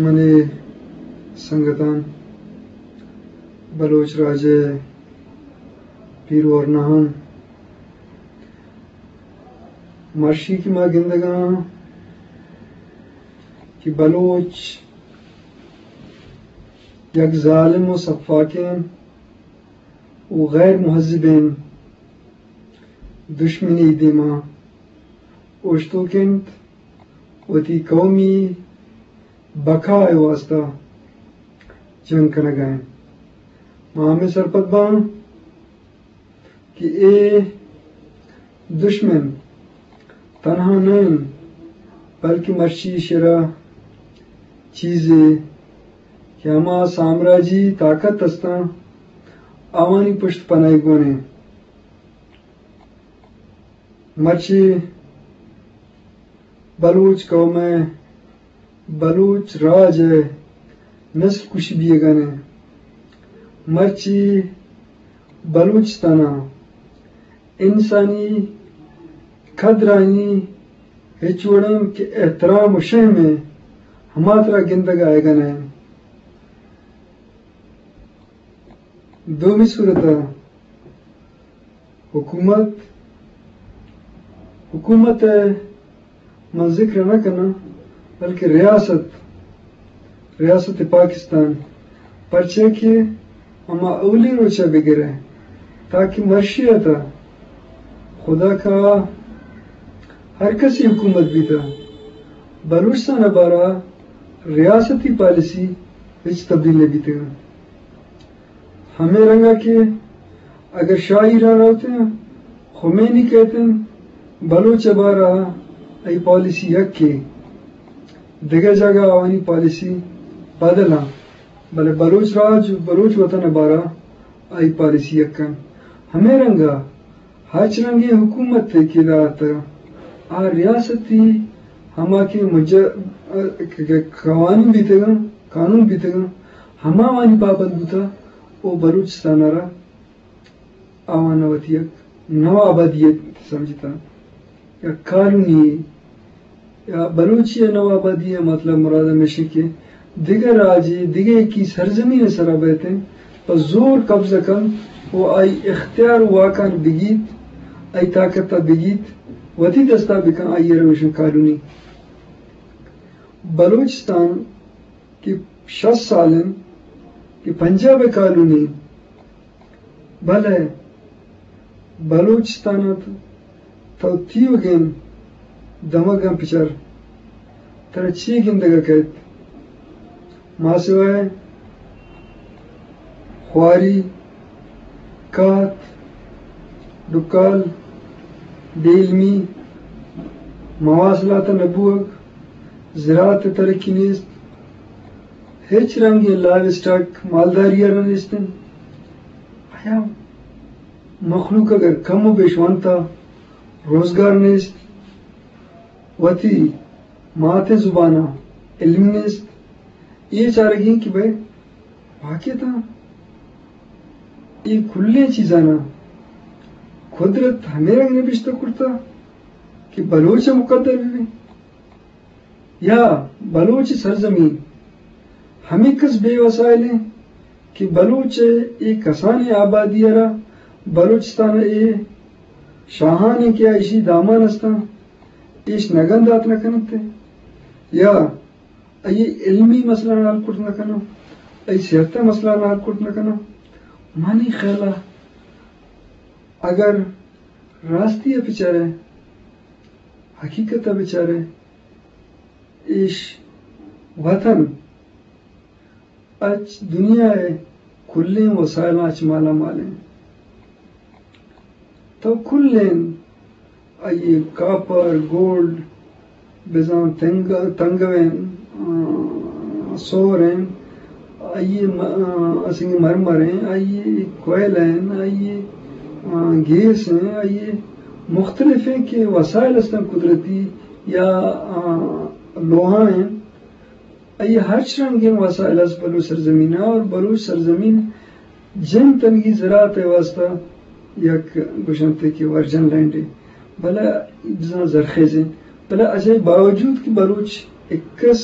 منی سنگتاں، بلوچ راج ءِ پیر ورناہاں، مرشی کہ ما گندگاں کہ بلوچ یک ظالم و سفاکیں و غیر مہذبیں دشمنے دیما اوشتوک انت، وتی قومی بقا ءِ واستہ جنگ کنگا انت۔ ما ہمے سرپد باں کہ اے دشمن تنہا نہ انت، بلکہ مرچی ایشرا چیزے کہ ہما سامراجی طاقت استاں، آوانی پشت پناہی گون انت۔ مرچی بلوچ قوم ءِ، بلوچ راج ءِ نسل کشی بیگا انت۔ مرچی بلوچستان ءَ انسانی قدرانی ہچ وڑیں کہ احترام و شہم ءِ ہما ترا گندگا آیگا نہ انت۔ دومی صورت ءَ حکومت، حکومت ءِ من ذکر نہ کناں، بلکہ ریاست، ریاست پاکستان، پرچہ کہ ہما اولی روچ ءَ بگرے تاکہ مرشی ءَ تہ خدا کا ہر کسی حکومت بیتہ، بلوچستان ءِ بارہ ریاستی پالیسی ہچ تبدیل نہ بیتگ۔ ہمے رنگا کہ اگر شاہ ایران روتیں، خمینی کہتیں، بلوچ ءِ بارہ آئی پالیسی یکے، دگہ جاگہ آوانی پالیسی بدلاں، بلے بلوچ راج، بلوچ وطن ءِ بارہ آئی پالیسی یکن۔ ہمے رنگا ہرچ رنگیں حکومت کہ دات، آ ریاستی ہما کہ مج-، کہ قوانین بیتگاں، قانون بیتگاں، ہما وانی پابند بوتا و بلوچستان ءَ را آوان وتی یک نوآبادیت سمجھتا۔ یا کالونی یا بلوچی ءِ نوآبادی ءِ مطلب مراد ہمیش کہ دگہ راجے، دگہ یکی سرزمین ءِ سرا بیت انت، پہ زور قبضہ کنت و آئی اختیار و واکان بگیت، آئی طاقت ءَ بگیت، وتی دستا بکن، آئی ءَ را گوشن کالونی۔ بلوچستان کہ شست سال انت کہ پنجاب ءِ کالونی، بلے بلوچستان ءَ تو تیوگیں دمگاں پچر، ترا چی گندگ ءَ کئیت؟ ماسوائے، خواری، کہت، ڈکال، بے علمی، مواصلات ءِ نہ بوگ، زراعت ءِ ترقی نیست، ہچ رنگیں لائیو اسٹاک مالداری ءَ را نیست انت۔ آیا مخلوق اگر کم و بیش وانتا، روزگار نیست، وتی مات زبان ءَ علم نیست، اے چارگی کہ بھئی واقعتاً اے کلیں چیزاناں قدرت ہمے رنگ نبشتہ کرتا کہ بلوچ ءَ مقدر بہ بی؟ یا بلوچ سرزمین ہمینکس بے وسائل انت کہ بلوچ ءِ اے کسانیں آبادی ءَ را، بلوچستان ءِ اے شاہانیں کہ ایشی دامان استاں، ایش نگن دات نہ کننت؟ یا آئی علمی مسئلہ حل کرت نہ کناں، آئی صحت ءِ مسئلہ حل کرت نہ کناں؟ منی خیال ءَ اگر راستی ءَ بچارے، حقیقت ءَ بچارے، ایش وطن اچ دنیا ءِ کلیں وسائلاں اچ مالا مال انت۔ تو کلیں آئی کاپر، گولڈ، بزاں تنگ-، تنگوین، آ، سورین، آئی م-، آ، سنگ مرمرین، آئی کوئلین، آئی، آ، گیسین، آئی مختلفیں کہ وسائل استن قدرتی یا، آ، لوہائین، آئی ہرچ رنگیں وسائل است بلوچ سرزمین ءَ، اور بلوچ سرزمین جن تنگی زراعت ءِ واستہ یک گوشنتے کہ ورجن لینڈے، بلے بزاں زرخیزیں، بلے اجائی باوجود کہ بلوچ اکس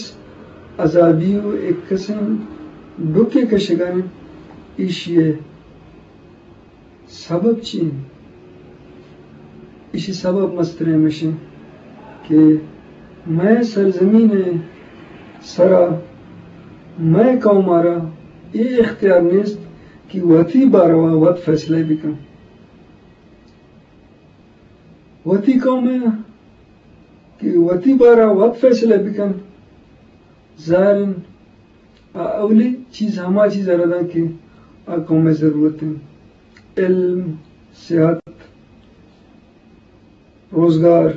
عذابی و یک قسم ڈکے کشگا انت، ایشی ءِ سبب چی انت؟ ایشی سبب مستریں ہمیش انت کہ مئے سرزمین ءِ سرا مئے قوم ءَ را اے اختیار نیست کہ وتی باروا وت فیصلہ بکن۔ وتی قوم ءَ کہ وتی بارا وت فیصلہ بکن، ظاہر انت، آ اولی چیز ہما چیز ءَ را داں کہ آ قوم ءِ ضرورت انت۔ علم، صحت، روزگار،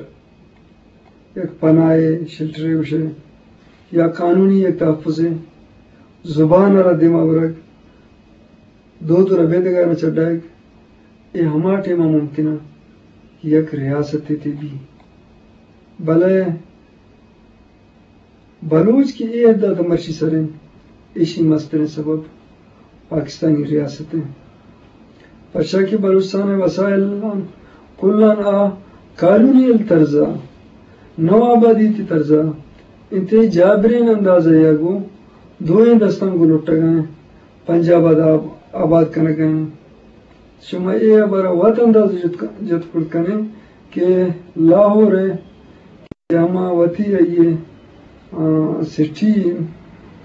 یک پناہ ءِ شیلٹرے گوشے، یا قانونی یک تحفظے، زبان ءَ را دیما برگ، دود و ربیدگ ءَ را چڈائگ، اے ہما ٹیم ءَ ممکن انت کہ یک ریاستے تہ بی۔ بلے بلوچ کہ اے حد ءَ تہ مرچی سر انت، ایشی مستریں سبب پاکستانی ریاست انت۔ پرچا کہ بلوچستان ءِ وسائل انت، کلاں آ کالونیل طرز ءَ، نوآبادیاتی طرز ءَ انت، جابریں انداز ءَ یا گوں دوئیں دستاں گوں لٹگ ءَ انت، پنجاب ءَ داں آباد کنگ ءَ انت۔ شما اے ہبر ءَ وت اندازہ جت، جت کت کن ئے کہ لاہور ءِ کہ ہما وتی آئی ءِ، آ، سٹی،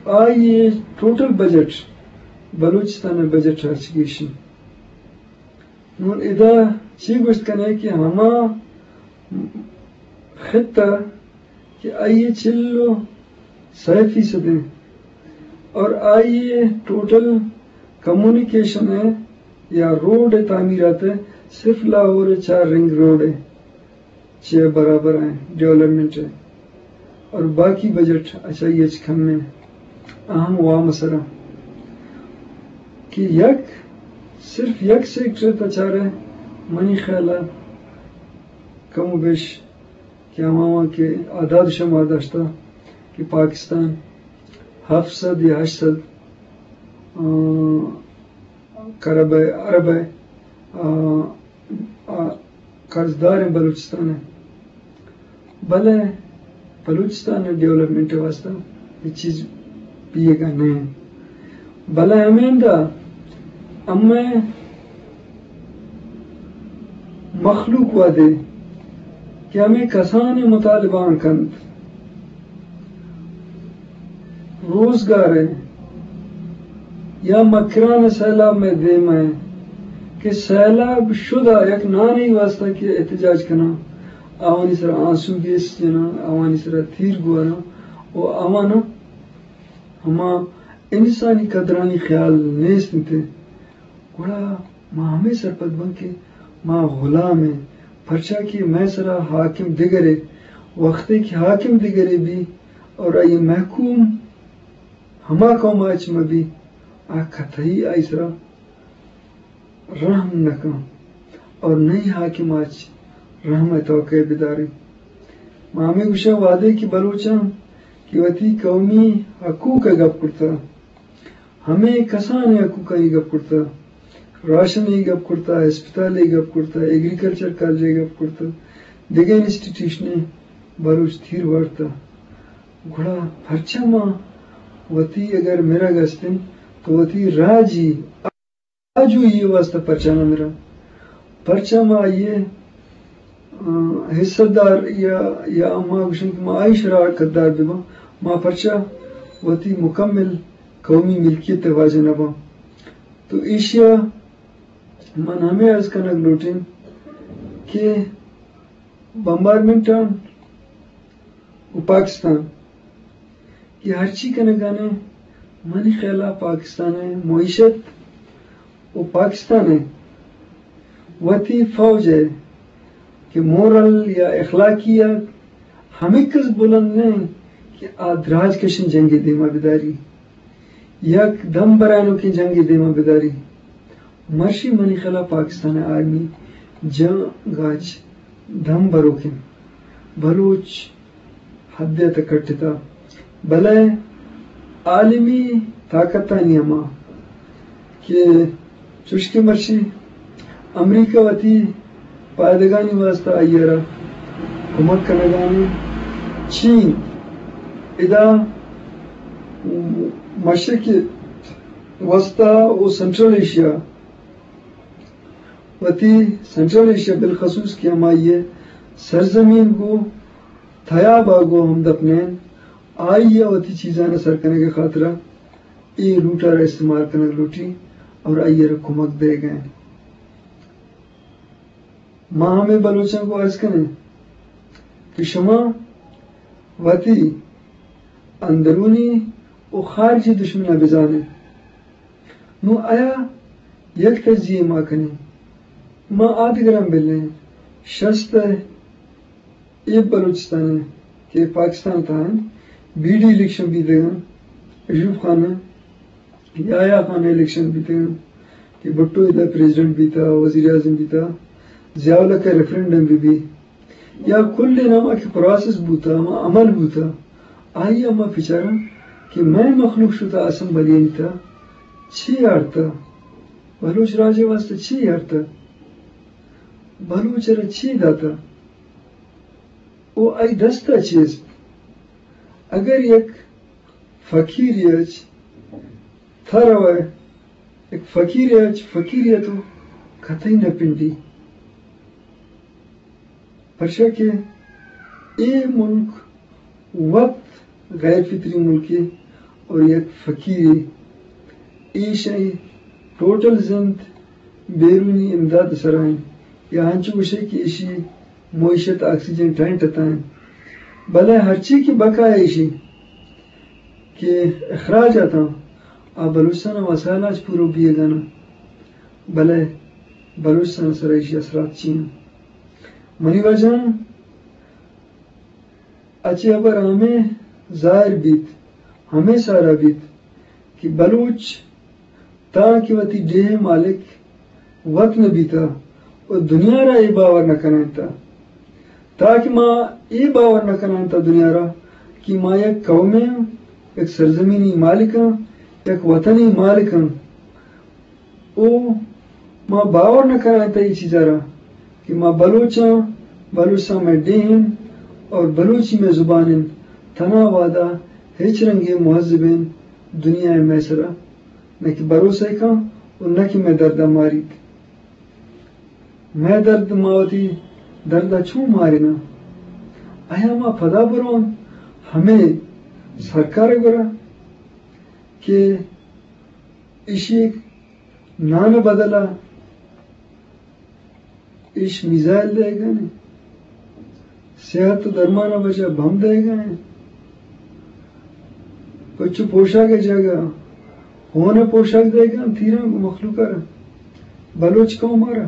آئی ءِ ٹوٹل بجٹ بلوچستان ءِ بجٹ ءَ چہ گیش انت۔ نون ادا چی گوشت کن ئے کہ ہما خطہ کہ آئی ءِ چل و سئے فیصد انت اور آئی ءِ ٹوٹل کمیونیکیشن ءِ یا روڈ ءِ تعمیرات ءِ صرف لاہور ءِ چار رنگ روڈ ءِ چہ برابر ءَ ڈیولپمنٹ ءِ اور باقی بجٹ اچ آئی ءَ چہ کم انت، اہم وام ءِ سرا کہ یک، صرف یک سیکٹر ءَ تہ چارئے، منی خیال ءَ کم و بیش کہ ہما ہما کہ اعداد شمار داشتہ کہ پاکستان ہفت سد یا ہشت سد، آ، کرب ءِ، ارب ءِ، آ، آ، قرضدار انت بلوچستان ءِ۔ بلے بلوچستان ءِ ڈیولپمنٹ ءِ واستہ اے چیز بیگ ءَ نہ انت۔ بلے ہمیندا ہمے مخلوق وہدے کہ ہمے کسانیں مطالبہ آں کنت، روزگار ءِ یا مکران ءِ سیلاب مئے دیم ءَ کہ سیلاب شدہ یک نانے واستہ کہ احتجاج کناں، آوانی سرا آنسو گیس جناں، آوانی سرا تیر گوراں و آواناں ہما انسانی قدرانی خیال نیست انت۔ گڑا ما ہمے سرپد باں کہ ما غلام ایں، پرچا کہ مئے سرا حاکم دگرے، وختے کہ حاکم دگرے بی اور آئی محکوم ہما قوم ءَ اچ مہ بی، آ قطعی آئی سرا رحم نہ کن اور نہ ہی حاکم ءَ اچ رحم ءِ توقع بداری۔ ما ہمے گوشاں وہدے کہ بلوچاں کہ وتی قومی حقوق ءِ گپ کرتہ، ہمے کسانیں حقوقانی گپ کرتہ، راشن ءِ گپ کرتہ، ہسپتال ءِ گپ کرتہ، ایگریکلچر کالج ءِ گپ کرتہ، دگہ انسٹیٹیوشن ءَ بلوچ تیر وارتہ۔ گڑا پرچا ما وتی اگر مرگ است انت تو وتی راجی آجوئی ءِ واستہ پرچا نہ مراں؟ پرچا ما آئی ءِ، آ، حصہ دار یا، یا ما گوشیں کہ ما آئی شراکت دار بہ باں؟ ما پرچا وتی مکمل قومی ملکیت ءِ واجہ نہ باں؟ تو ایشی ءَ من ہمے عرض کنگ لوٹیں کہ بمبارمنٹ آں و پاکستان کہ ہرچی کنگانے، منی خیالا پاکستان ءِ معیشت و پاکستان ءِ وتی فوج ءِ کہ مورل یا اخلاقیات ہمینکس بلند نہ انت کہ آ دراج کشیں جنگے دیما بداری، یک دم برانوکیں جنگے دیما بداری۔ مرشی منی خیالا پاکستان ءِ آرمی جنگ ءَ چہ دم بروک انت۔ بلوچ حد ءَ تہ کٹتہ، بلے عالمی طاقتانی ہما کہ چوشکہ مرشی امریکہ وتی پائدگانی واستہ آئی ءَ را کمک کنگانی، چین ادا مشرق وسطی و سنٹرل ایشیا، وتی سنٹرل ایشیا بالخصوص کہ ہمائی ءِ سرزمین گوں تیاب ءَ گوں ہمدپ نہ انت، آئی ءَ وتی چیزاں سر کنگ ءِ خاطرا اے روٹ ءَ را استعمال کنگ لوٹی اور آئی ءَ را کمک دئیگ ءَ انت۔ ما ہمے بلوچاں گوں عرض کنیں کہ شما وتی اندرونی و خارجی دشمن ءَ بزانیں۔ نوں آیا یک تجزیہ ما کنیں، ما آدگراں بلیں، شست ءَ اے بلوچستان ءَ کہ پاکستان ءِ تہا انت، بی ڈی الیکشن بیتگ انت، ایوب خان ءِ، یحییٰ خان ءِ الیکشن بیتگ انت کہ بھٹو ادا پریزیڈنٹ بیتا، وزیر اعظم بیتا، ضیاء الحق ءِ ریفرنڈم بہ بی، یا کل ناما کہ پروسس بوتا، ہما عمل بوتا، آئی ءَ ما بچاراں کہ مئے مخلوق شتا اسمبلی ءِ تہا چی آرتا، بلوچ راج ءِ واسطہ چی آرتا، بلوچ ءَ را چی داتا، او آئی دستا چی است؟ اگر یک فقیرے اچ تھا روئے، یک فقیرے اچ فقیرے تو کتئی نہ پنڈی۔ پرچا کہ اے ملک وت غیر فطری ملکے اور یک فقیرے، ایشی ٹوٹل زند بیرونی امداد سرا انت، یا انچو گوشے کہ ایشی معیشت آکسیجن ٹینٹ اتاں، بلے ہرچی کہ بقایا ایشی کہ اخراج اتاں، آ بلوچستان ءِ وسائل اچ پورو بیگانا، بلے بلوچستان ءِ سرا ایشی اثرات چی انت؟ منی واجہاں، اچ اے ہبر ہمے ظاہر بیت، ہمے سارا بیت کہ بلوچ تاں کہ وتی ڈیھ ءِ مالک وت نہ بیتا و دنیا را اے باور نہ کنائینتا، تاں کہ ما اے باور نہ کنائینتا دنیا را کہ ما یک قومے آں، یک سرزمینی مالک آں، یک وطنی مالک آں۔ او ما باور نہ کنائینتا اے چیزا را کہ ما بلوچ آں، بلوچستان مئے ڈیھ انت اور بلوچی مئے زبان انت، تھنا وھدا ہچ رنگیں مہذبیں دنیا ءَ مئے سرا نہ کہ بھروسہ کن و نہ کہ مئے دردا ماریت۔ مئے درد ما وتی دردا چون ماریناں؟ آیا ما پدا برواں ہمے سرکار ءِ گورا کہ ایشی نان ءِ بدلا ایش میزائل دئیگا انت، صحت و درمان ءِ وجہ بم دئیگا انت، پچ و پوشاک ءِ جاگہ ہون ءِ پوشاک دئیگا انت، تیراں گوں مخلوق ءَ را، بلوچ قوم ءَ را۔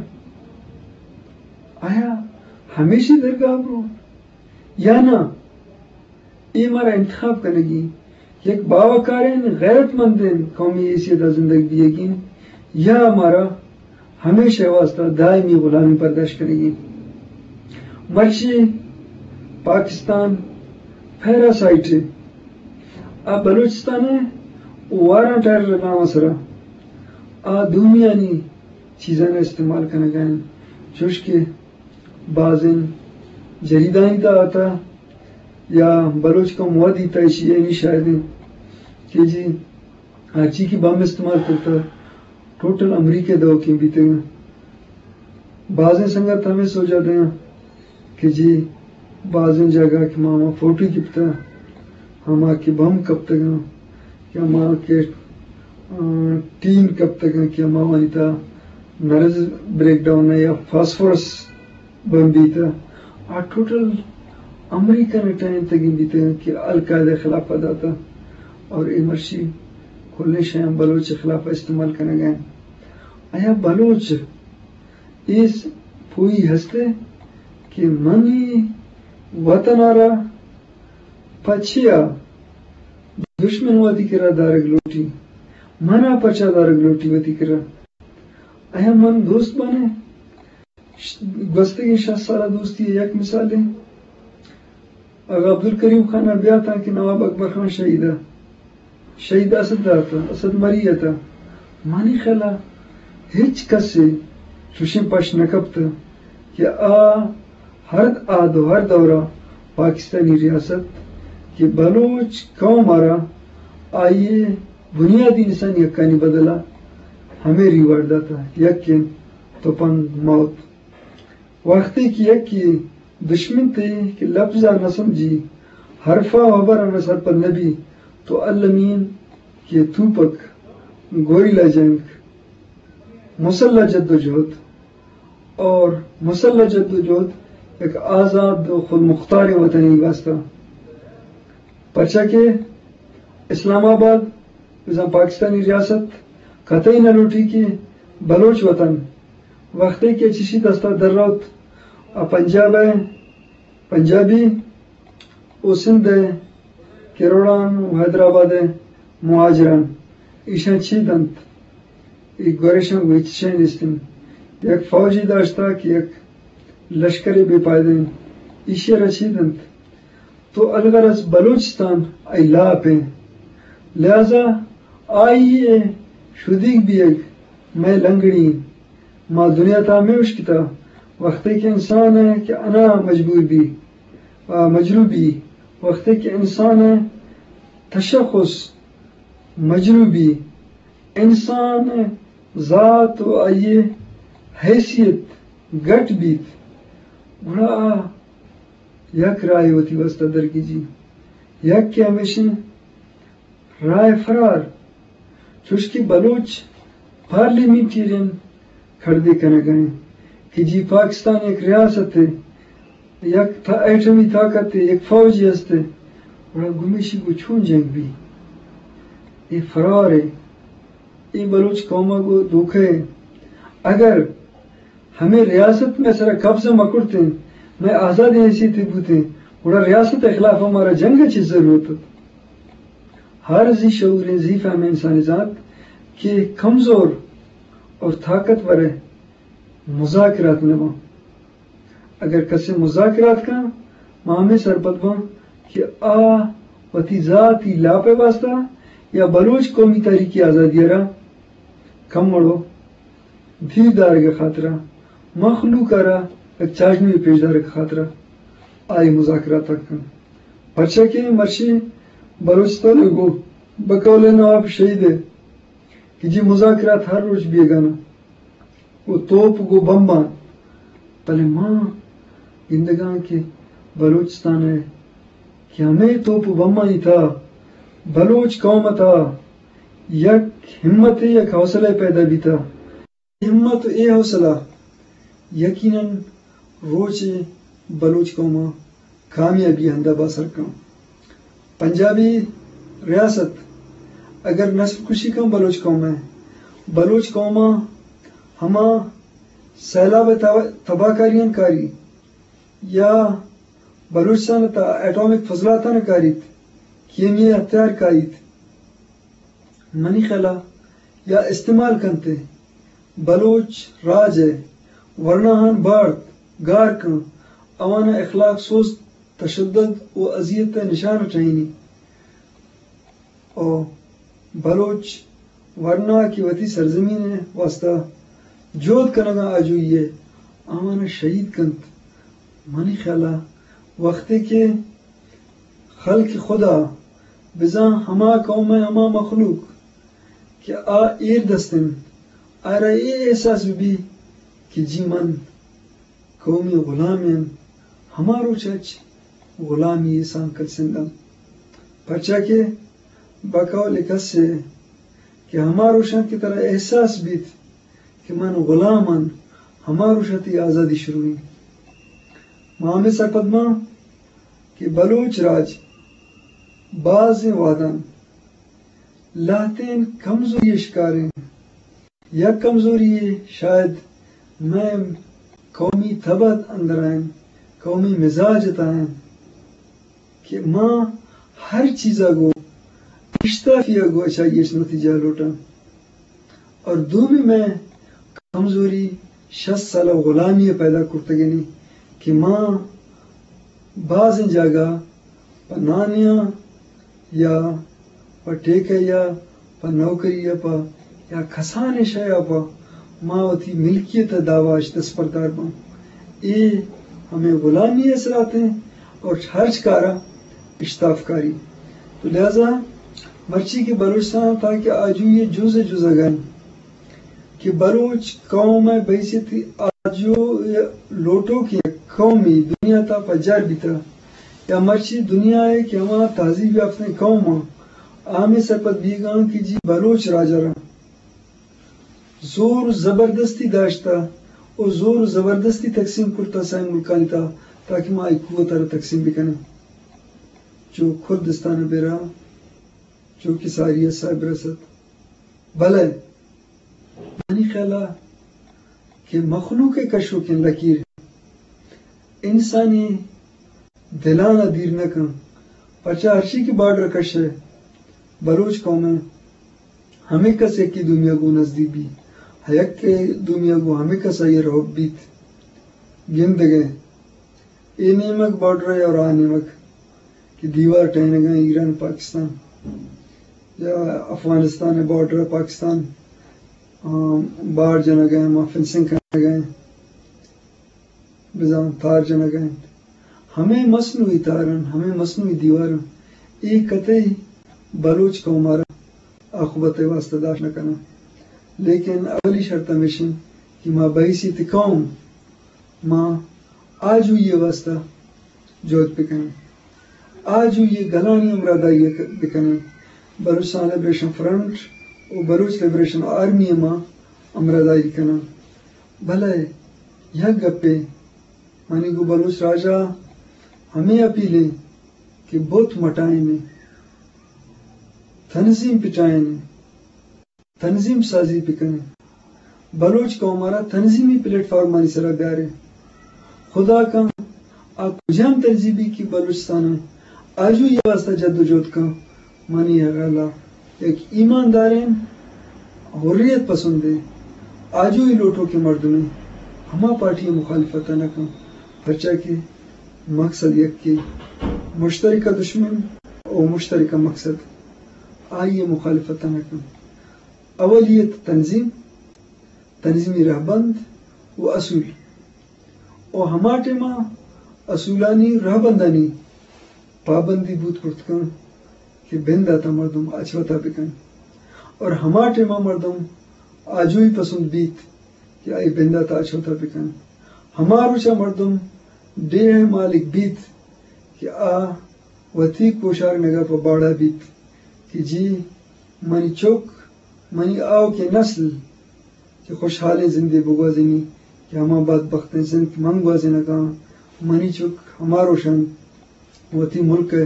آیا ہمیشی درگاہ برو یا نہ؟ اے مارا انتخاب کنگی، یک باوقاریں غیرت مندیں قومی حیثیت ءَ زندگ بیگی، یا مارا ہمیشہ واسطہ دائمی غلامی برداشت کنگی۔ مرچی پاکستان پیراسائٹ ءَ، آ بلوچستان ءَ وارانٹ آرڈر ءِ نام ءِ سرا آ دومیانی چیزاں استعمال کنگا انت، چوش کہ بازیں جریدانی تہا آتا یا بلوچ قوم ءَ دیتا، ایشی ءَ نی شاہد انت کہ جی ہرچی کہ بم استعمال کرتا، ٹوٹل امریکہ ءِ دئوکیں بیتگاں۔ بازیں سنگت ہمے سوجا دیاں کہ جی بازیں جاگہ کہ ما ہما فوٹو گپتا، ہما کہ بم کپتگاں، کہ ہما کہ، آ، ٹین کپتگاں کہ ہما وانی تہا نرز بریک ڈاؤن ءَ یا فاسفورس بم بیتہ، آ ٹوٹل امریکہ ءَ ٹہینتگیں بیتگاں کہ القاعدہ ءِ خلاف ءَ داتہ اور اے مرچی کلیں شیاں بلوچ ءِ خلاف ءَ استعمال کنگ ءَ انت۔ آیا بلوچ اے س-، پوئی ہست کہ منی وطن ءَ را پہ چیا دشمن وتی کرا دارگ لوٹی؟ منا پچا دارگ لوٹی وتی کرا؟ آیا من دوست بنے؟ ش-، گوستگیں شست سال ءِ دوستی ءِ یک مثالے۔ اگاں عبدالکریم خان ءَ بیاتاں کہ نواب اکبر خان شہید ءَ، شہید اسد ءَ اتاں، اسد مری ءَ اتاں، منی خیال ءَ ہچ کسے چوشیں پش نہ کپتہ کہ آ ہر عہد و ہر دور ءَ پاکستانی ریاست کہ بلوچ قوم ءَ را آئی ء بنیادی انسانی حقانی بدل ء ہمے ریوارڈ داتہ، یک انت تپنگ، موت۔ وختے کہ یکے دشمن تے کہ لبز ء نہ سمجھی، حرف ء ہبر ء نہ سرپد نہ بی، تو المی انت کہ توپک، گوریلا جنگ، مسلح جدوجہد، اور مسلح جدوجہد یک آزاد و خودمختاریں وطنے واسطہ، پرچا کہ اسلام آباد بزاں پاکستانی ریاست قطعی نہ لوٹی کہ بلوچ وطن وختے کہ چشی دستا در روت، آ پنجاب ء، پنجابی و سندھ ء کروڑان و حیدرآباد ء مہاجران ایشاں چی دنت؟ اے گورشاں گوں ہچ شے نیست انت۔ یک فوجے داشتہ کہ یک لشکرے بے پائدہ انت، ایشی ء را چی دنت؟ تو الغرض بلوچستان آئی لاپ انت، لہذا آئی ء شدیگ بیگ مئے لنگڑی انت۔ ما دنیا تہا ہمے اشکتہ، وختے کہ انسان ء کہ انا مجبور بی، آ، مجروح بی، وختے کہ انسان ء تشخص مجروح بی، انسان ء ذات و آئی ء حیثیت گٹ بیت، گڑا آ یک راہے وتی واسطہ درگیجی۔ یک کہ ہمیش انت راہ فرار، چوش کہ بلوچ پارلیمنٹیرین کڑدے کنگ ء انت کہ جی پاکستان یک ریاست ء، یک تا-، ایٹمی طاقت ء، یک فوجے است ء، گڑا گمیشی گوں چون جنگ بی؟ اے فرار ء، اے بلوچ قوم ء گوں دھوکہ ء۔ اگر ہمے ریاست مئے سرا قبضہ مہ کرتیں، مئے آزادیں حیثیتے بوتیں، گڑا ریاست ء خلاف ء مارا جنگ ء چی ضرورت ات؟ ہر زی شعوریں، زی فہمیں انسانے زانت کہ کمزور اور طاقتور ء مذاکرات نہ باں۔ اگر کسے مذاکرات کن، ما ہمے سرپد باں کہ آ وتی ذاتی لاپ ء واسطہ یا بلوچ قومی تحریک آزادی ء را کمڑو دیر دارگ ء خاطرا، مخلوق ء را یک چاژنوے پیش دارگ ء خاطرا آئی مذاکرات ء کن۔ پرچا کہ مرچی بلوچستان ء گوں بقول نواب شہید ء کہ جی مذاکرات ہر روچ بیگانا و توپ گوں بمباں، بلے ما گندگاں کہ بلوچستان ء کہ ہمے توپ و بمانی تہا بلوچ قوم ء تہا یک ہمت ء یک حوصلہ ء پیدا بیتہ۔ ہمت و اے حوصلہ یقیناً روچے بلوچ قوم ء کامیابی ہندا باسر کن۔ پنجابی ریاست اگر نسل کشی کن بلوچ قوم ء، بلوچ قوم ء ہما سیلاب ء تباہ کاریاں کاری یا بلوچستان ء تہا ایٹامک فضلاتاں کاریت، کیمیائی ہتھیار کاریت، منی خیالا یا استعمال کنت ء بلوچ راج ء ورناہان بارت، گار کن، آوان ء اخلاق سوز، تشدد و اذیت ء نشان ٹہینی و بلوچ ورنا کہ وتی سرزمین ء واستہ جہد کنگا آجوئی ء آوان ء شہید کنت۔ منی خیالا وختے کہ خلق خدا، بزاں ہما قوم ء ہما مخلوق کہ آ ایر دست انت، آئرا اے احساس بہ بی کہ جی من قومی غلامے آں، ہما روچ اچ غلامی ء سانکل سنداں۔ پرچا کہ بقول کسے کہ ہما روچاں کہ ترا احساس بیت کہ من غلام آں، ہما روچ ء تئی آزادی شروع انت۔ ما ہمے سرپد باں کہ بلوچ راج بازیں وہداں لہتیں کمزوری ء شکار انت۔ یک کمزوری شاید مئے قومی تب ء اندر ء انت، قومی مزاج ء تہا انت کہ ما ہر چیز ء گوں اشتافی ء گوں اچائی اچ نتیجہ لوٹاں۔ اور دومی مئے کمزوری شست سال ء غلامی ء پیدا کرتگینی کہ ما بازیں جاگہ پہ نانیاں یا پہ ٹیکہ یا پہ نوکری یا پہ یا کسانیں شے ء پہ ما وتی ملکیت ء دعوی اش دستبردار باں۔ اے ہمے غلامی ء اثرات انت اور ہرچ کارا اشتاف کاری۔ تو لہذا مرچی کہ بلوچستان تاکہ آجوئی ءِ جز ءَ جزگ ءَ انت کہ بلوچ قوم ءِ بحیثیت آجو ءِ لوٹوکیں قومے دنیا ءِ تہا پجار بیتہ، یا مرچی دنیا ءِ کہ ہما تہذیب یافتیں قوم آں، آ ہمے سرپد بیگ ءَ آں کہ جی بلوچ راج ءَ را زور زبردستی داشتہ و زور زبردستی تقسیم کرتہ سائیں ملکانی تہا، تاکہ ما اے قوت ءَ را تقسیم بکنیں۔ چو کردستان ءَ برا، چو کہ ساری ءَ صاحب رسد۔ بلے منی خیال ءَ کہ مخلوق ءِ کشوکیں لکیر انسانی دلان ءَ دیر نہ کن، پرچا ہرچی کہ بارڈر کشے، بلوچ قوم ءِ ہمے کس یکے دومی ءَ گوں نزدیک بی، یکے دومی ءَ گوں ہمے کس آئی ءَ را حب بیت۔ گندگ ءَ اے نیمگ بارڈر ءَ اور آ نیمگ کہ دیوار ٹہینگ ءَ ایران پاکستان یا افغانستان ءِ بارڈر ءَ پاکستان، آ، بار جنگ ءَ، ہما فنسنگ کنگ ءَ، بزاں تار جنگ ءَ انت۔ ہمے مصنوعی تار انت، ہمے مصنوعی دیوار انت۔ اے قطعی بلوچ قوم ءَ را آخبت ءِ واستہ داشت نہ کناں۔ لیکن اولی شرط ہمیش انت کہ ما بحیثیت قوم ما آجوئی ءِ واستہ جہد بکنیں، آجوئی ءِ گلانی ہمراہداری ءَ بکنیں، بلوچستان لبریشن فرنٹ و بلوچ لبریشن آرمی ءَ ما ہمراہداری کناں۔ بلے یک گپے منی گوں بلوچ راج ءَ ہمے اپیل انت کہ بت مٹائینیں، تنظیم پٹائینیں، تنظیم سازی بکنیں، بلوچ قوم ءَ را تنظیمی پلیٹ فارمانی سرا بیاریں۔ خدا کن آ کجام تنظیمی کہ بلوچستان ءِ آجوئی ءِ واستہ جد و جہد کن، منی خیال ءَ یک ایمانداریں، حریت پسندیں، آجوئی لوٹوکیں مردمے ہما پارٹی ءِ مخالفت ءَ نہ کن، پرچا کہ مقصد یکے، مشترکہ دشمن و مشترکہ مقصد، آئی ءِ مخالفت ءَ نہ کن۔ اولیت تنظیم، تنظیمی رہبند و اصول۔ و ہما ٹائما اصولانی، رہبندانی پابندی بوت کرت کن کہ بندات ءَ مردم اچ وتا بکن۔ اور ہما ٹائما مردم آجوئی پسند بیت کہ آئی بندات ءَ اچ وتا بکن۔ ہما روچا مردم ڈیہہ ءِ مالک بیت کہ آ وتی کوشارگا پہ باڑا بیت کہ جی منی چک، منی آؤکیں نسل چہ خوشحالیں زندے بگوازینی کہ ہما بدبختیں زند من گوازینگا آں، منی چک ہما روشا وتی ملک ءِ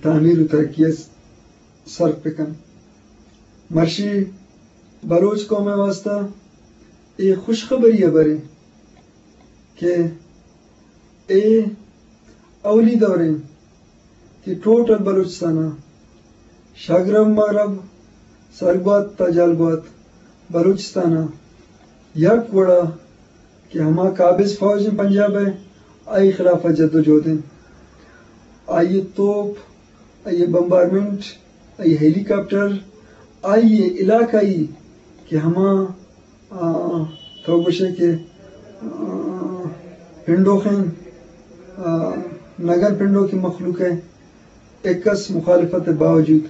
تعمیر و ترقی ءَ صرف بکن۔ مرشی بلوچ قوم ءِ واستہ اے خوشخبری ءِ ہبرے کہ اے اولی دوریں کہ ٹوٹل بلوچستان ءَ شگرب مغرب، سرگوات تا جالگوات بلوچستان ءَ یک وڑا کہ ہما قابض فوج پنجاب ءِ، آئی خلاف ءَ جد و جہد انت۔ آئی توپ، آئی بمبارمنٹ، آئی ہیلی کاپٹر، آئی علاقائی کہ ہما آ، تو گوشے کہ، آ، پنڈوخیں، آ، نگن پنڈوکی مخلوق ءِ اکس مخالفت ءِ باوجود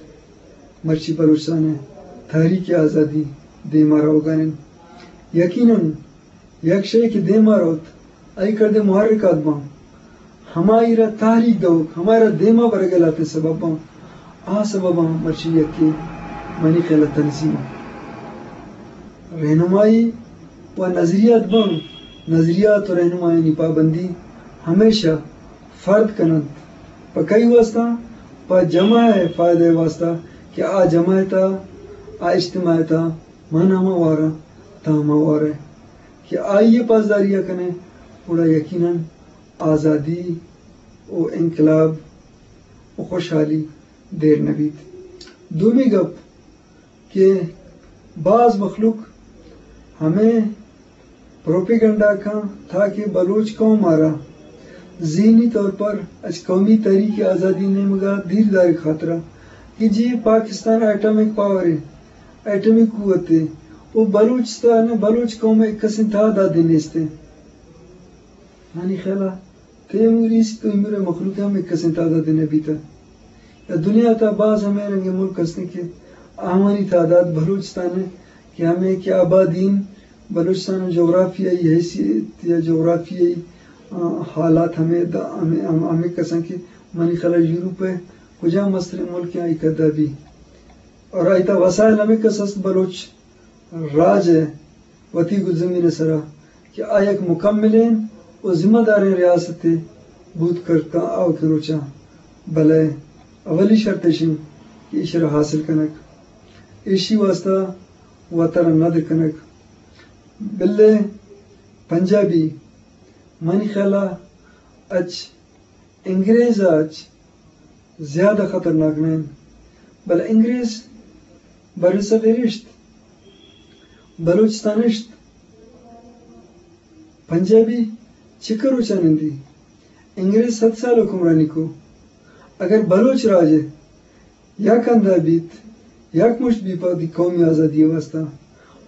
مرچی بلوچستان ءِ تحریک آزادی دیما روگا انت۔ یقیناً یک شے کہ دیما روت، آئی کردے محرکات باں۔ ہمائی را تحریک دئوک، ہمائی را دیما برگ ءِ لہتیں سبب باں۔ آ سبباں مرچی یکے منی خیال ءَ تنظیم ءِ رہنمائی و نظریات باں۔ نظریات و رہنمائیانی پابندی ہمیشہ فرد کن انت۔ پہ کئی واسطہ؟ پہ جماعت ءِ فائدہ ءِ واسطہ کہ آ جماعت ءَ، آ اجتماعیت ءَ من ہما وار آں، تاں ہما وار ئے۔ کہ آئی ءِ پاسداری ءَ کن ئے، گڑا یقیناً آزادی و انقلاب و خوشحالی دیر نہ بیت۔ دومی گپ کہ باز مخلوق ہمے پروپیگنڈا کن تاکہ بلوچ قوم ءَ را ذہنی طور پر اچ قومی تحریک آزادی نیمگا دیر دارگ خاطرا کہ جی پاکستان ایٹمک پاور ہے، ایٹمی قوت ہے، و بلوچستان، بلوچ قوم یک کسیں تعدادے نیست ہے۔ منی خیالا تیموری است و ایمر مخلوق ہم یک کسیں تعدادے نہ بیتا۔ دنیا تہا باز ہمے رنگیں ملک ہستیں کہ آوانی تعداد بلوچستان ء کہ ہمے کہ آبادی انت، بلوچستان ء جغرافیائی حیثیت یا جغرافیائی، آ، حالات ہمے دا-، ہمے، ہم-، ہمے کساں کہ منی خیال ء یورپ ء کجام مستریں ملک آئی کدا بی اور آئی تہا وسائل ہمے کس است بلوچ راج ء وتی گلزمین ء سرا کہ آ یک مکملیں و ذمہ داریں ریاستے بوت کرتاں آؤکیں روچاں، بلئے اولی شرط ایش انت کہ ایشرا حاصل کنگ، ایشی واسطہ وترا ندر کنگ۔ بلے پنجابی منی خیالا اچ انگریز ء اچ زیادہ خطرناک نہ انت، بلے انگریز بر صغیر اشت، بلوچستان اشت، پنجابی چکر روچا نندی، انگریز صد سال حکمرانی کو۔ اگر بلوچ راج ء یک ہندا بیت، یک مشت بی پہ وتی قومی آزادی ء واسطہ،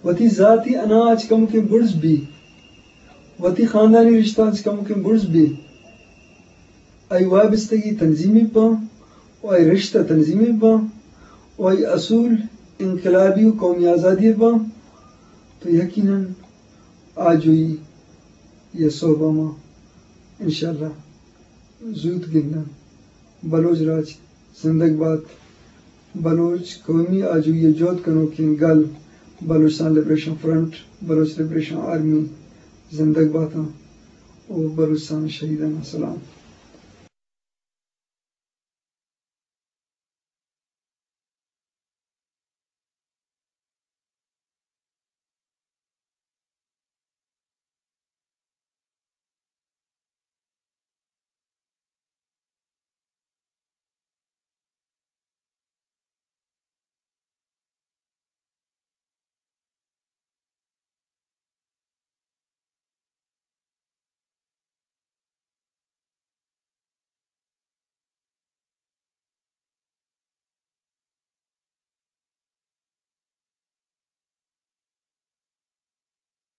وتی ذاتی انا اچ کمکیں برز بی، وتی خاندانی رشتہ اچ کمکیں برز بی، آئی وابستگی تنظیمی باں و آئی رشتہ تنظیمی باں و آئی اصول انقلابی و قومی آزادی باں، تو یقیناً آجوئی یا سہبا ما انشاءاللہ زوت گنداں۔ بلوچ راج زندگ بات۔ بلوچ قومی آجوئی ء جہد کنوکیں گل بلوچستان لبریشن فرنٹ، بلوچ لبریشن آرمی زندگ باتاں و بلوچستان شہیدان سلام۔